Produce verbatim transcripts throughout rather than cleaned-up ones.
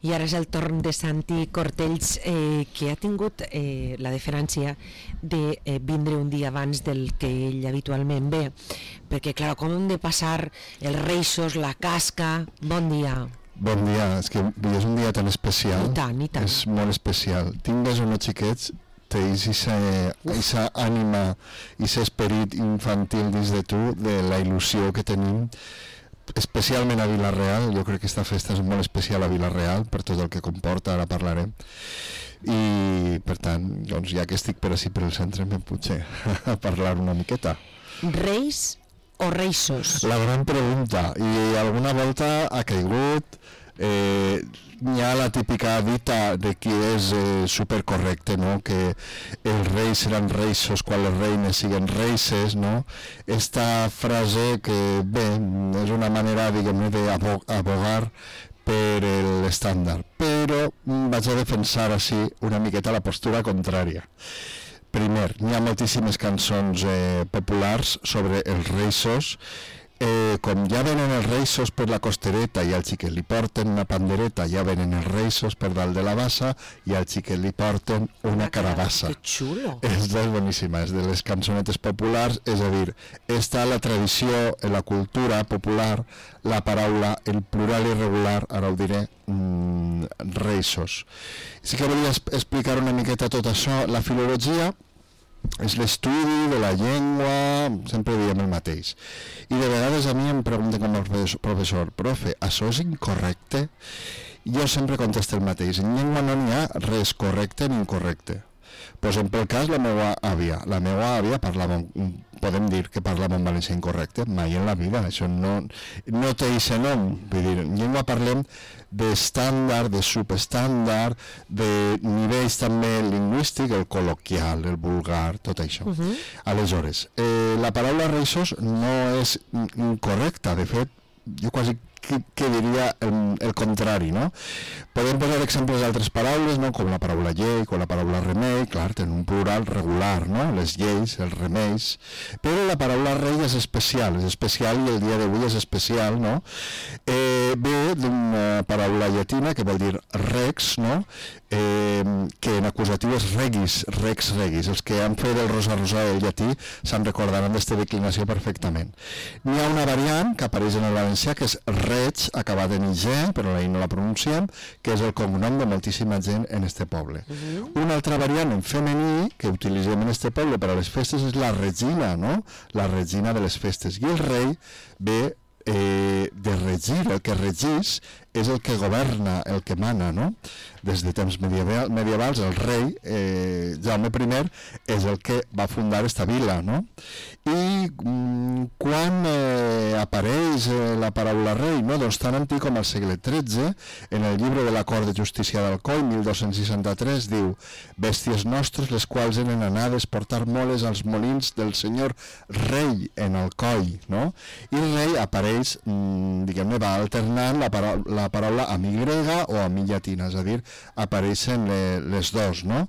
I ara és el torn de Santi Cortells, eh, que ha tingut eh, la deferència de eh, vindre un dia abans del que ell habitualment ve, perquè clar, com hem de passar els reixos, la casca. Bon dia. Bon dia, és que és un dia tan especial. I tant, i tant. És molt especial. Tingues o no xiquets, tens aquesta ànima, aquest esperit infantil dins de tu, de la il·lusió que tenim, especialment a Vila-real. Jo crec que aquesta festa és molt especial a Vila-real per tot el que comporta, ara parlarem. I per tant, doncs, ja que estic per ací per el centre, em potser a parlar una miqueta. Reis o reixos? La gran pregunta, i alguna volta ha caigut. Eh, hi ha la típica dita de qui és eh, supercorrecte, no? Que els reis seran reixos quan les reines siguen reixes, no? Esta frase que, bé, és una manera, diguem-ne, d'abogar per l'estàndard, però vaig a defensar així una miqueta la postura contrària. Primer, hi ha moltíssimes cançons eh, populars sobre els reixos. Eh, com ja venen els reixos per la costereta i al xiquet li porten una pandereta, ja venen els reixos per dalt de la bassa i al xiquet li porten una carabassa. Que xulo! És boníssima, és de les cançonetes populars, és a dir, està la tradició, en la cultura popular, la paraula, el plural irregular, ara ho diré, mmm, reixos. Sí que volia explicar una miqueta tot això. La filologia és l'estudi de la llengua, sempre diem el mateix. I de vegades a mi em pregunten com el professor, profe, això és incorrecte? Jo sempre contesto el mateix, en llengua no n'hi ha res correcte ni incorrecte. Posem pel cas la meva àvia. La meva àvia parlava, podem dir que parlava en valencià incorrecte? Mai en la vida, això no, no té aquest nom. Vull dir, en llengua parlem d'estàndard, de subestàndard, de nivells també lingüístic, el col·loquial, el vulgar, tot això. Uh-huh. Aleshores, eh, la paraula reixos no és incorrecta, de fet, jo quasi que, que diria el, el contrari, no? Podem posar exemples d'altres paraules, no? Com la paraula llei, com la paraula remei, clar, tenen un plural regular, no? Les lleis, els remeis, però la paraula rei és especial, és especial i el dia d'avui és especial, no? Eh, ve d'una paraula llatina que vol dir rex, no? Eh, que en acusatiu és regis, rex regis. Els que han fet el rosa rosa del llatí se'n recordaran d'esta declinació perfectament. N'hi ha una variant que apareix en el valencià que és reig, acabat en ig, però ahir no la pronunciem, que és el cognom de moltíssima gent en este poble. Uh-huh. Una altra variant en femení que utilitzem en este poble per a les festes és la regina, no? La regina de les festes. I el rei ve eh, de regir, el que regís és el que governa, el que mana, no? Des de temps medieval, medievals, el rei, eh, Jaume primer, és el que va fundar esta vila, no? I mm, quan eh, apareix eh, la paraula rei, no? Doncs tan antic com al segle tretze, en el llibre de l'Acord de Justícia d'Alcoi, mil dos-cents seixanta-tres, diu: bèsties nostres, les quals eren anades portar moles als molins del senyor rei en Alcoi, no? I el rei apareix, mm, diguem-ne, va alternant la paraula, la la paraula a mi grega o a mi llatina, és a dir, apareixen le, les dos, no?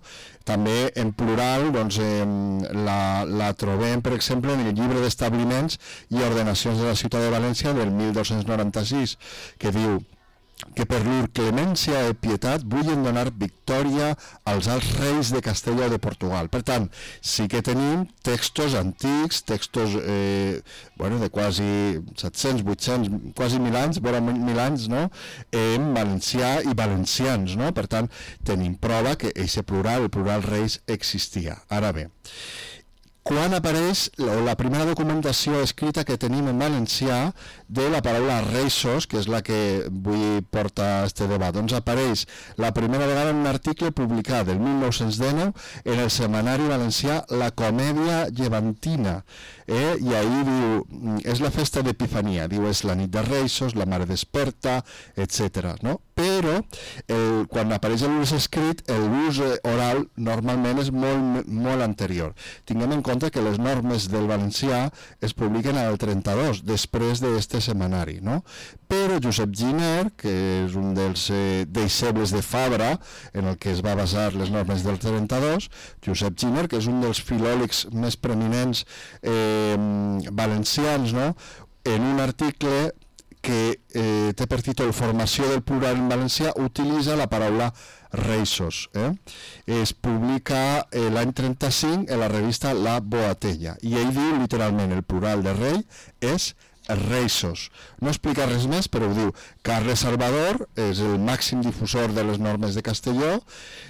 També en plural, doncs, eh, la, la trobem, per exemple, en el llibre d'establiments i ordenacions de la ciutat de València del mil dos-cents noranta-sis, que diu que per llur clemència i pietat vullen donar victòria als alts reis de Castella o de Portugal. Per tant, sí que tenim textos antics, textos eh, bueno, de quasi set-cents, vuit-cents, quasi mil anys, vora mil anys, no? En valencià i valencians, no? Per tant, tenim prova que aquest plural, el plural reis, existia. Ara bé, quan apareix la, la primera documentació escrita que tenim en valencià de la paraula reixos, que és la que vull portar a este debat, doncs apareix la primera vegada en un article publicat el mil nou-cents dinou en el setmanari valencià La Comèdia Llevantina, eh? I ahir diu, és la festa d'Epifania, diu, és la nit de reixos, la mare desperta, etcètera, no? Però el, quan apareix l'ús escrit, l'ús oral normalment és molt, molt anterior. Tinguem en compte que les normes del valencià es publiquen al trenta-dos, després d'este setmanari, no? Però Josep Giner, que és un dels eh, deixebles de Fabra, en el que es va basar les normes del trenta-dos, Josep Giner, que és un dels filòlegs més preeminents eh, valencians, no? En un article que eh, té per títol Formació del plural en valencià, utilitza la paraula reixos. Eh? Es publica eh, l'any trenta-cinc en la revista La Boatella i ell diu literalment el plural de rei és reixos. No explica res més, però ho diu. Carles Salvador és el màxim difusor de les normes de Castelló.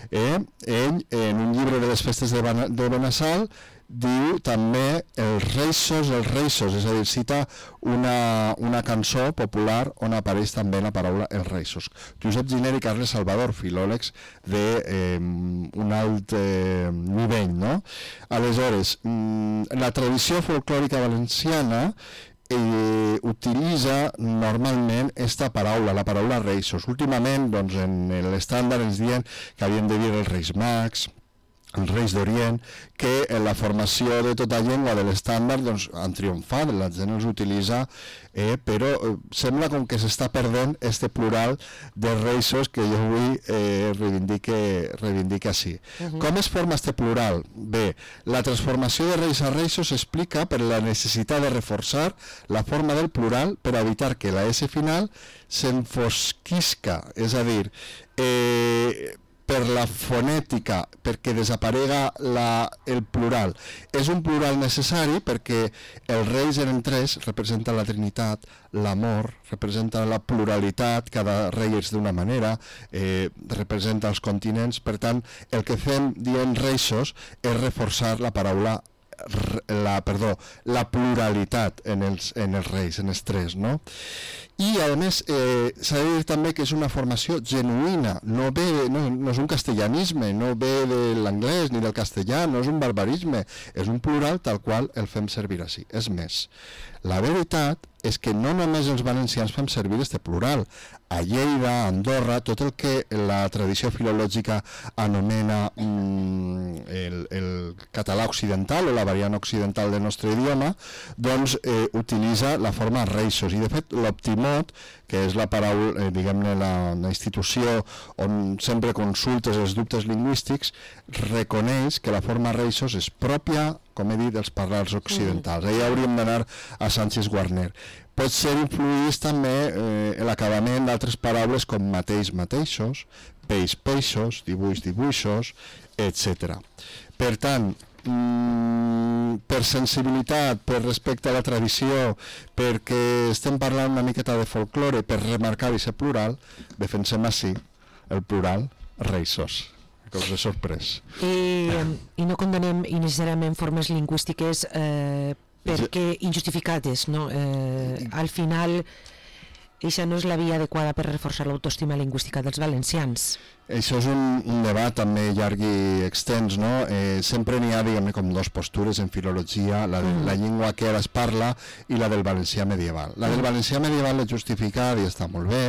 Eh? Ell, en un llibre de les festes de, Ban de Benassal, diu també els reixos, els reixos, és a dir, cita una, una cançó popular on apareix també la paraula els reixos. Josep Giner i Carles Salvador, filòlegs d'un eh, alt eh, nivell, no? Aleshores, mm, la tradició folclòrica valenciana Eh, utilitza normalment esta paraula, la paraula reixos. Últimament, doncs, en l'estàndard ens diuen que havien de dir els Reis Mags, els Reis d'Orient, que en la formació de tota llengua de l'estàndard doncs, han triomfat, la gent els utilitza, eh, però eh, sembla com que s'està perdent este plural de reixos que jo avui eh, reivindique, reivindique així. Uh -huh. Com es forma este plural? Bé, la transformació de reis a reixos s'explica per la necessitat de reforçar la forma del plural per evitar que la S final s'enfosquisca, és a dir, eh, per la fonètica, perquè desaparega la, el plural. És un plural necessari perquè els reis eren tres, representen la Trinitat, l'amor, representa la pluralitat, cada rei és d'una manera, eh, representa els continents, per tant, el que fem dient reixos és reforçar la paraula la, perdó, la pluralitat en els, en els reis, en els tres, no? I a més eh, s'ha de dir també que és una formació genuïna, no, ve, no, no és un castellanisme, no ve de l'anglès ni del castellà, no és un barbarisme, és un plural tal qual el fem servir així. És més, la veritat és que no només els valencians fem servir este plural. A Lleida, a Andorra, tot el que la tradició filològica anomena mm, el, el català occidental o la variant occidental del nostre idioma, doncs eh, utilitza la forma reixos. I de fet l'Optimot, que és la paraula, eh, diguem-ne, la, la institució on sempre consultes els dubtes lingüístics, reconeix que la forma reixos és pròpia, com he dit, dels parlars occidentals. Mm. Allà hauríem d'anar a Sánchez Guarner. Pot ser influïts també eh, l'acabament d'altres paraules com mateix, mateixos, peix, peixos, dibuix, dibuixos, etcètera. Per tant, mm, per sensibilitat, per respecte a la tradició, perquè estem parlant una miqueta de folklore, per remarcar aquest plural, defensem així el plural reixos. Que us he sorprès. I, i no condenem innecessàriament formes lingüístiques eh, perquè injustificades, no? Eh, al final, això no és la via adequada per reforçar l'autoestima lingüística dels valencians. Això és un, un debat també llarg i extens, no? Eh, sempre n'hi ha, diguem-ne, com dos postures en filologia, la de mm. la llengua que ara es parla i la del valencià medieval. La del valencià medieval és justificada i està molt bé,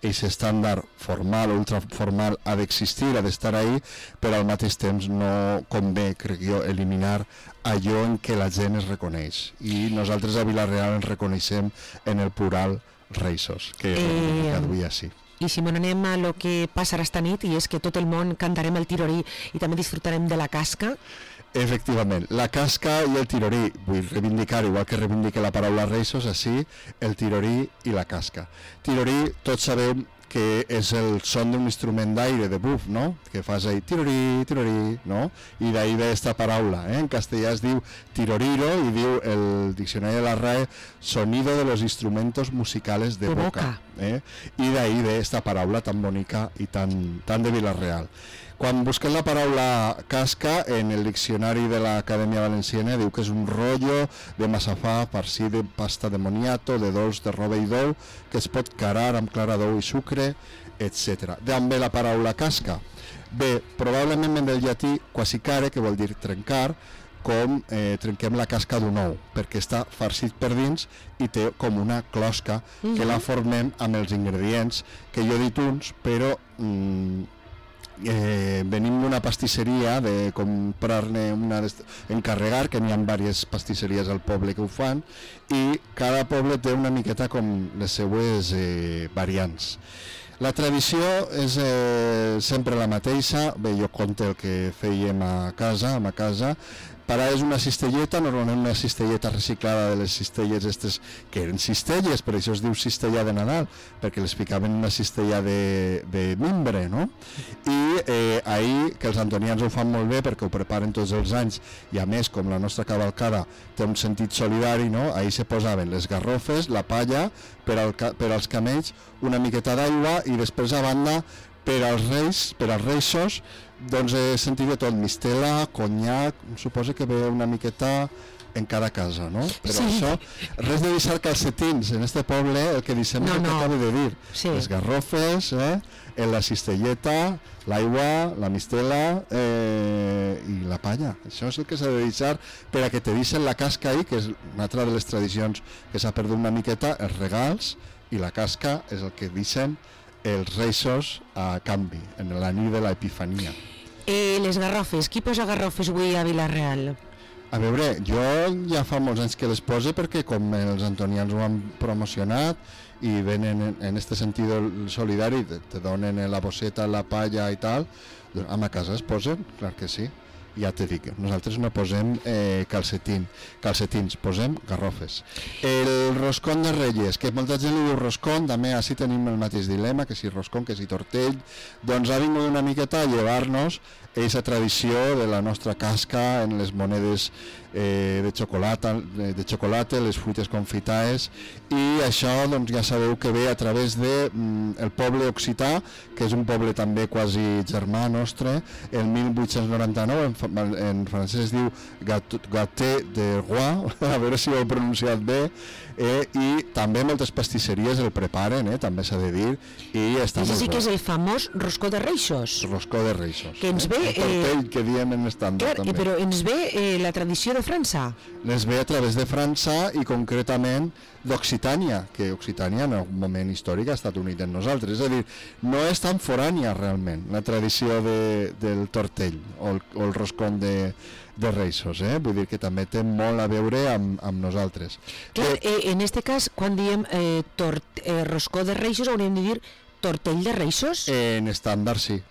aquest estàndard formal o ultraformal ha d'existir, ha d'estar ahí, però al mateix temps no convé, crec jo, eliminar allò en què la gent es reconeix. I nosaltres a Vila-real ens reconeixem en el plural reixos, que eh, avui així. I si m'on anem a lo que passarà esta nit, i és que tot el món cantarem el tirorí i també disfrutarem de la casca. Efectivament, la casca i el tirorí, vull reivindicar, igual que reivindique la paraula reixos, així, el tirorí i la casca. Tirorí, tots sabem que és el son d'un instrument d'aire, de buf, no? Que fas ahí, tirorí, tirorí, no? I d'ahí ve esta paraula, eh? En castellà es diu tiroriro i diu el diccionari de la R A E sonido de los instrumentos musicales de, de boca. boca. Eh? I d'ahí ve esta paraula tan bonica i tan, tan de Vila-real. Quan busquem la paraula casca, en el diccionari de l'Acadèmia Valenciana diu que és un rotllo de massafà farcit de pasta de moniato, de dolç de roba i dou, que es pot carar amb clara d'ou i sucre, etcètera. D'on ve la paraula casca? Bé, probablement ve del llatí quasicare, que vol dir trencar, com eh, trenquem la casca d'un ou, perquè està farcit per dins i té com una closca, mm-hmm. que la formem amb els ingredients, que jo he dit uns, però... Mm, Eh, venim d'una pastisseria de comprar-ne una encarregar, que n'hi ha diverses pastisseries al poble que ho fan, i cada poble té una miqueta com les seues eh, variants. La tradició és eh, sempre la mateixa. Bé, jo conto el que fèiem a casa, a ma casa, per a és una cistelleta, normalment una cistelleta reciclada de les cistelles estes, que eren cistelles, per això es diu cistella de Nadal, perquè les ficaven en una cistella de, de mimbre, no? I eh, ahir, que els antonians ho fan molt bé perquè ho preparen tots els anys, i a més, com la nostra cavalcada té un sentit solidari, no? Ahir se posaven les garrofes, la palla, per, al, per als camells, una miqueta d'aigua, i després a banda, per als reis, per als reixos, doncs he sentit de tot, mistela, conyac, suposo que ve una miqueta en cada casa, no? Però sí. Això, res de deixar calcetins en este poble, el que deixem no, és el no. que acabo de dir, sí. Les garrofes, eh? En la cistelleta, l'aigua, la mistela eh, i la palla. Això és el que s'ha de deixar per a que te deixen la casca ahí, que és una altra de les tradicions que s'ha perdut una miqueta, els regals, i la casca és el que deixen els reixos a canvi, en la nit de l'Epifania. Eh, les garrofes, qui posa garrofes avui a Vila-real? A veure, jo ja fa molts anys que les pose perquè com els antonians ho han promocionat i venen en, en este sentit solidari, te, te donen la bosseta, la palla i tal, doncs a ma casa es posen, clar que sí. Ja te dic, nosaltres no posem eh, calcetín, calcetins, posem garrofes. El roscón de Reyes, que molta gent li diu roscón, també així tenim el mateix dilema, que si roscón, que si tortell, doncs ha vingut una miqueta a llevar-nos aquesta tradició de la nostra casca en les monedes eh, de xocolata, de xocolata, les fruites confitades, i això doncs ja sabeu que ve a través de mm, el poble occità, que és un poble també quasi germà nostre, el mil vuit-cents noranta-nou, en, en francès es diu Gâté de Roi, a veure si ho he pronunciat bé, eh, i també moltes pastisseries el preparen, eh, també s'ha de dir, i està molt sí que és el famós roscó de reixos. Roscó de reixos. Que ens ve... El tortell eh, que diem en estàndard, clar, també. Però ens ve eh, la tradició de França. Les ve a través de França i concretament d'Occitània, que Occitània en algun moment històric ha estat unit en nosaltres, és a dir, no és tan forània realment la tradició de, del tortell o el, o el roscón de, de reixos, eh? Vull dir que també té molt a veure amb, amb nosaltres. Clar, eh, en este cas, quan diem eh, tort, eh, roscó de reixos, hauríem de dir tortell de reixos? Eh, en estàndard sí,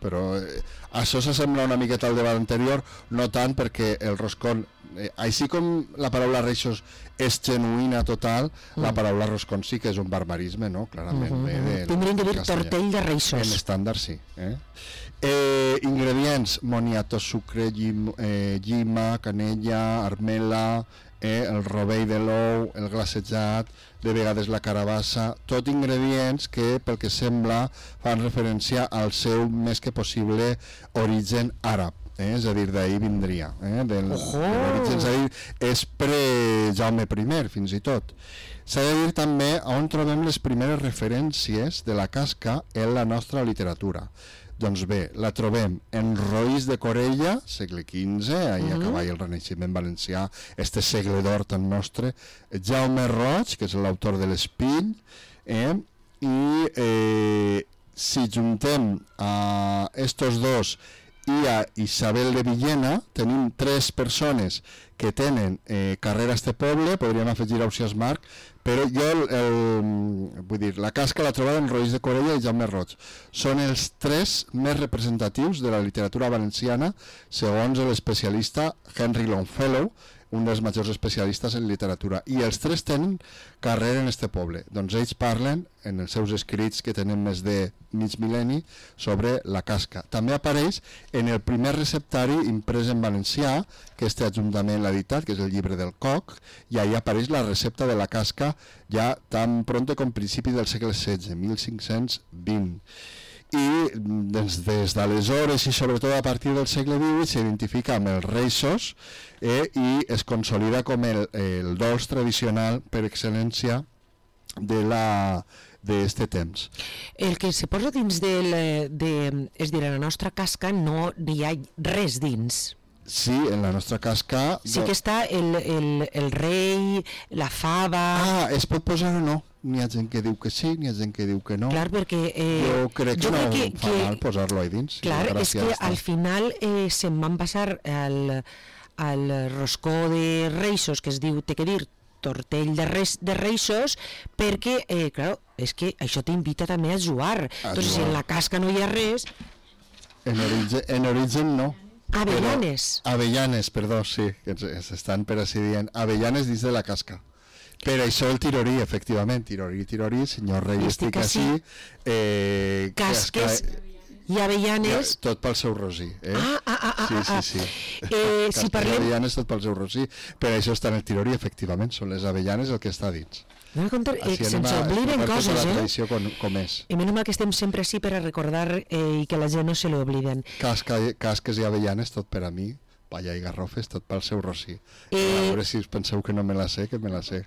però eh, això s'assembla una miqueta al debat anterior, no tant perquè el roscón, eh, així com la paraula reixos és genuïna total, mm. la paraula roscón sí que és un barbarisme, no? Clarament. Mm -hmm. de, Tindríem de dir tortell de reixos. En estàndard sí. Eh? Eh, ingredients: moniato, sucre, llim, eh, llima, canella, armela, eh, el rovell de l'ou, el glaçejat, de vegades la carabassa, tot ingredients que, pel que sembla, fan referència al seu més que possible origen àrab. Eh, és a dir, d'ahir vindria, eh, del, oh. de l'origen, és a dir, és pre-Jaume I, fins i tot. S'ha de dir també on trobem les primeres referències de la casca en la nostra literatura. Doncs bé, la trobem en Roís de Corella, segle quinze, ahir uh -huh. a cavall el Renaixement valencià, este segle d'or tan nostre, Jaume Roig, que és l'autor de l'Espill, eh, i eh, si juntem a estos dos i a Isabel de Villena, tenim tres persones que tenen eh, carrera a este poble, podríem afegir Ausiàs Marc, però jo, el, el, vull dir, la casca la trobada en Roís de Corella i Jaume Roig. Són els tres més representatius de la literatura valenciana, segons l'especialista Henry Longfellow, un dels majors especialistes en literatura, i els tres tenen carrera en este poble. Doncs ells parlen en els seus escrits, que tenen més de mig mil·lenni, sobre la casca. També apareix en el primer receptari imprès en valencià, que este ajuntament l'ha editat, que és el llibre del Coc, i ahí apareix la recepta de la casca ja tan pronto com principi del segle setze, mil cinc-cents vint. I des, des d'aleshores i sobretot a partir del segle divuit s'identifica amb els reixos eh, i es consolida com el, el dolç tradicional per excel·lència de la d'este temps. El que se posa dins del, de, és dir, a la nostra casca no hi ha res dins. Sí, en la nostra casca... Sí que està el, el, el rei, la fava... Ah, es pot posar o no? N'hi ha gent que diu que sí, n'hi ha gent que diu que no. Clar, perquè... Eh, jo crec que jo no crec que, fa que, mal posar-lo ahí dins. Clar, és que al final eh, se'n van passar al, al roscó de reixos, que es diu, té que dir, tortell de, res, de reixos, perquè, eh, clar, és que això t'invita també a jugar. A Entonces, jugar. Si en la casca no hi ha res... En origen, en origen no. Avellanes. Però, avellanes, perdó, sí, que s'estan per així dient. Avellanes dins de la casca. Per això el tirorí, efectivament, tirorí, tirorí, senyor rei, estic, estic així. Eh, Casques casca, i avellanes. Ja, tot pel seu rosí. Eh? Ah, ah, ah, ah, sí, sí, sí. Ah. Eh, si parlem... i avellanes tot pel seu rosí. Per això està en el tirorí, efectivament, són les avellanes el que està dins. Anem a comptar, eh, se'ns obliden coses, la eh? tradició com, com és. I menys mal que estem sempre així per a recordar eh, i que la gent no se l'obliden. Casca, casques i avellanes, tot per a mi. Palla i garrofes, tot pel seu rosí. Eh... A veure si us penseu que no me la sé, que me la sé.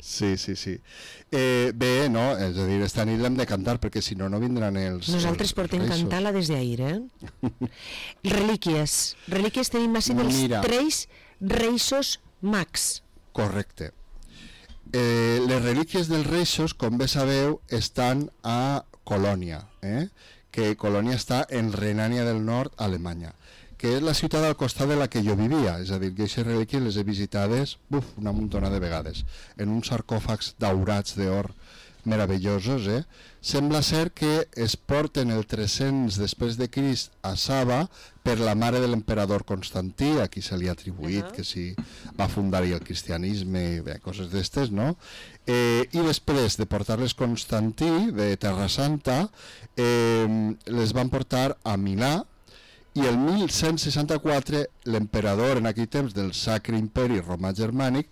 sí, sí, sí. Eh, bé, no, és a dir, esta nit l'hem de cantar, perquè si no, no vindran els Nosaltres els portem reixos. cantar-la des d'ahir, eh? Relíquies. Relíquies tenim així dels Mira. tres reixos mags. Correcte. Eh, les relíquies dels reixos, com bé sabeu, estan a Colònia, eh? que Colònia està en Renània del Nord, Alemanya, que és la ciutat al costat de la que jo vivia, és a dir, que aquestes relíquies les he visitades uf, una muntona de vegades, en uns sarcòfags daurats d'or meravellosos. Eh? Sembla ser que es porten el tres-cents després de Crist a Saba per la mare de l'emperador Constantí, a qui se li ha atribuït uh -huh. que si va fundar-hi el cristianisme i bé, coses d'estes, no? Eh, I després de portar-les Constantí, de Terra Santa, eh, les van portar a Milà, i el mil cent seixanta-quatre l'emperador en aquell temps del Sacre Imperi Romà Germànic,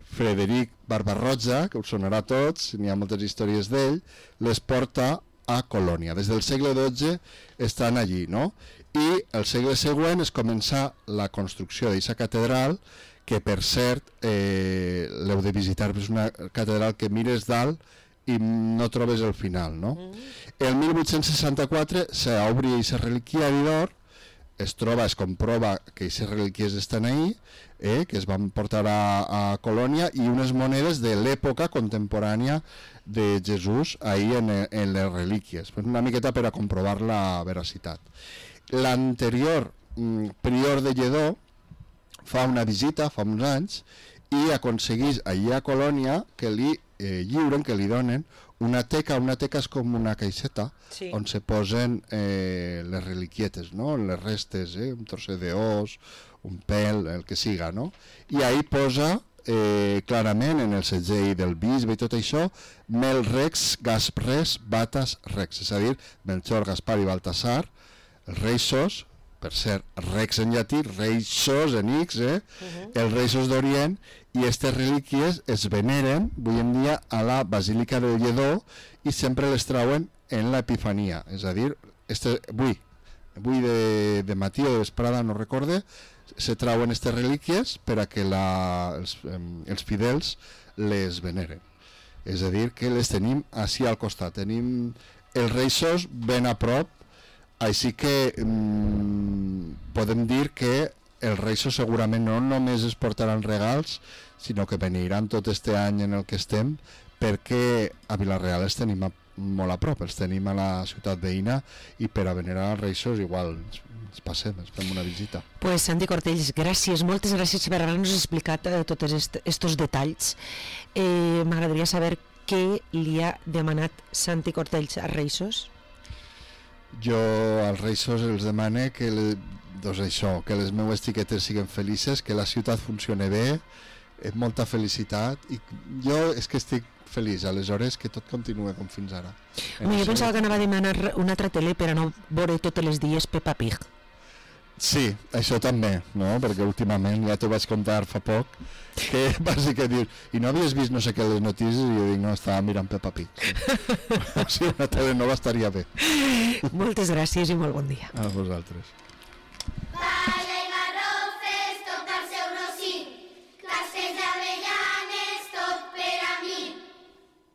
Frederic Barba-roja, que us sonarà a tots, n'hi ha moltes històries d'ell, les porta a Colònia. Des del segle dotze estan allí, no? I el segle següent es comença la construcció d'aquesta catedral, que per cert eh, l'heu de visitar, és una catedral que mires dalt i no trobes el final, no? Mm. El mil vuit-cents seixanta-quatre s'obri aquesta reliquiari d'or, es troba, es comprova que aquestes relíquies estan ahí, eh, que es van portar a, a Colònia, i unes monedes de l'època contemporània de Jesús ahí en, en les relíquies, una miqueta per a comprovar la veracitat. L'anterior mm, prior de Lledó fa una visita, fa uns anys, i aconseguís allí a Colònia que li eh, lliuren, que li donen una teca. Una teca és com una caixeta, sí, on se posen eh, les reliquietes, no? Les restes, eh? Un trosset d'os, un pèl, el que siga, no? I ahí posa eh, clarament en el segell del bisbe i tot això, Mel Rex Gaspres Batas Rex, és a dir, Melchor, Gaspar i Baltasar, els reixos, per ser Rex en llatí, reixos en X, eh? Uh-huh. Els reixos d'Orient, i aquestes relíquies es veneren avui en dia a la Basílica de Lledó i sempre les trauen en l'Epifania, és a dir, este, avui, avui de, de matí o de vesprada, no recorde, se trauen aquestes relíquies per a que la, els, els fidels les veneren. És a dir, que les tenim així al costat, tenim els reixos ben a prop, així que mmm, podem dir que els reixos segurament no només es portaran regals, sinó que veniran tot este any en el que estem, perquè a Vila-real els tenim a, molt a prop, els tenim a la ciutat veïna, i per a venerar els reixos igual ens, ens passem, ens fem una visita. Pues Santi Cortells, gràcies, moltes gràcies per haver-nos explicat eh, tots aquests detalls. Eh, M'agradaria saber què li ha demanat Santi Cortells a Reixos. Jo als Reixos els demane que, le, doncs això, que les meues xiquetes siguin felices, que la ciutat funcione bé, amb molta felicitat, i jo és que estic feliç, aleshores que tot continua com fins ara. Home, jo pensava que anava a demanar una altra tele per a no veure tots els dies Peppa Pig. Sí, això també, no? Perquè últimament, ja t'ho vaig contar fa poc, que vas que dius, i no havies vist no sé què les notícies, i jo dic, no, estava mirant Peppa Pig. Sí. O sigui, una tele nova estaria bé. Moltes gràcies i molt bon dia. A vosaltres.